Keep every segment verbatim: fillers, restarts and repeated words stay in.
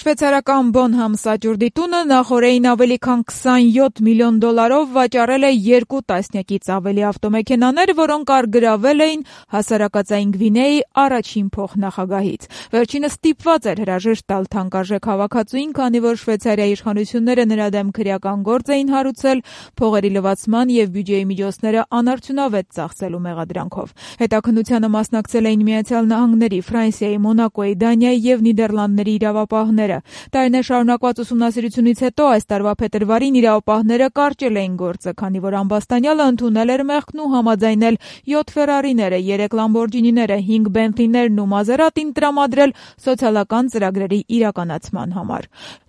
Շվեյցարական Bonham սաճուրդի տունը նախօրեին ավելի քան քսանյոթ միլիոն դոլարով վաճառել է երկու տասնյակից ավելի ավտոմեքենաներ, որոնք առգրավել էին հասարակածային Գվինեայի առաջին փոխնախագահից։ Վերջինը ստիպված էր հրաժեշտ տալ թանկարժեք հավաքածուին, քանի որ Շվեյցարիայի իշխանությունները նրա դեմ քրեական գործ էին հարուցել փողերի լվացման եւ բյուջեի միջոցները անարդյունավետ ծախսելու մեղադրանքով։ Հետաքննությանը մասնակցել էին Միացյալ Նահանգների, Ֆրանսիայի, Մոնակոյի, Դանիայի եւ Նիդերլանդների իրավապահներ։ Տարիներ շարունակված ուսումնասիրությունից հետո այս տարվա փետրվարին իրավապահները կարճել էին գործը, քանի որ ամբաստանյալը ընդունել էր մեղքն ու համաձայնել յոթ Ֆերարիները, երեք Լամբորջինիները, հինգ Բենթլիներն ու Մազերատին տրամադրել սոցիալական ծրագրերի իրականացման համար։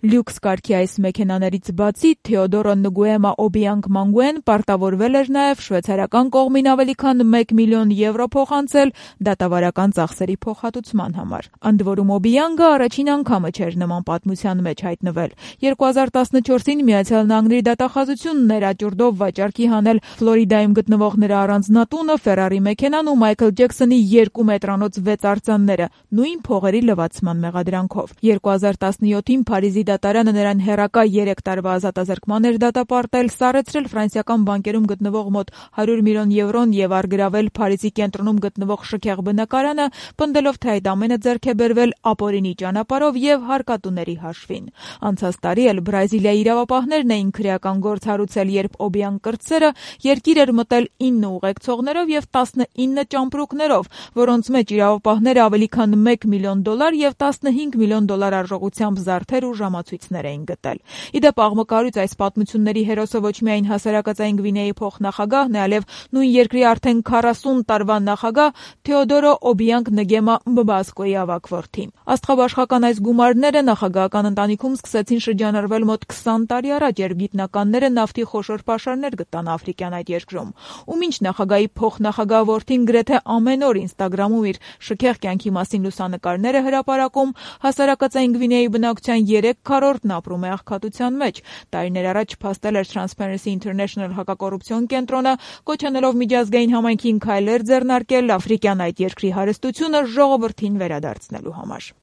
Լյուքս կարգի այս մեքենաներից բացի Թեոդորո Նգուեմա Օբիանգ Մանգուեն պարտավորվել էր նաև շվեյցարական կողմին ավելի քան մեկ միլիոն եվրո փոխանցել դատավարական ծախսերի փոխհատուցման համար։ Ընդ որում Օբիանգը առաջին անգամը չէր նման պատմության մեջ հայտնվել։ երկու հազար տասնչորսին Միացյալ Նահանգների դատախազությունն էր աճուրդով վաճառքի հանել Ֆլորիդայում գտնվող նրա առանձնատունը, Ֆերարի մեքենան ու Մայքլ Ջեքսոնի երկու մետրանոց վեց արձանները նույն փողերի լվացման մեղադրանքով։ երկու հազար տասնյոթին Փարիզի դատարանը նրան հեռակա երեք տարվա ազատազրկման էր դատապարտել, սառեցրել ֆրանսիական բանկերում գտնվող մոտ հարյուր միլիոն եվրոն եւ առգրավել Փարիզի կենտրոնում գտնվող շքեղ բնակարանը, պնդելով, թե այդ ամենը ձեռք է բերվել ապօրինի ճանապարհով եւ հարկատուների հաշվին։ Անցած տարի էլ Բրազիլիայի իրավապահներն էին քրեական գործ հարուցել, երբ Օբիան կրտսերը երկիր էր մտել ինը ուղեկցողներով եւ տասնինը ճամպրուկներով, որոնց մեջ իրավապահները ավելի քան մեկ միլիոն դոլար եւ տասնհինգ միլիոն դոլար արժողությամբ զարդեր ու ժամացույցներ էին գտել։ Իդեպ աղմկարույց այս պատմությունների հերոսը ոչ միայն հասարակածային Գվինեայի փոխնախագահն է, այլև նույն երկրի արդեն քառասուն տարվա նախագահ Թեոդորո Օբիանգ Նգեմա Մբասկոյի ավագ որդի։ Աստղաբաշխական այս գումարները նախագահական ընտանիքում սկսեցին շրջանառվել մոտ քսան տարի առաջ, երբ գիտնականները նավթի խոշոր պաշարներ գտան Աֆրիկյան այդ երկրում։ Ու մինչ նախագահի փոխնախագահ որդին գրեթե ամեն օր Ինստագրամում իր շքեղ կյանքի մասին լուսանկարներ է հրապարակում, հասարակածային Գվինեայի բնակչության երեք քառորդն ապրում է աղքատության մեջ։ Տարիներ առաջ փաստել էր Transparency International հակակոռուպցիոն կենտրոնը, կոչ անելով միջազգային համայնքին քայլեր ձեռնարկել Աֆրիկյան այդ երկրի հարստությունը ժողովրդին վերադարձնելու համար։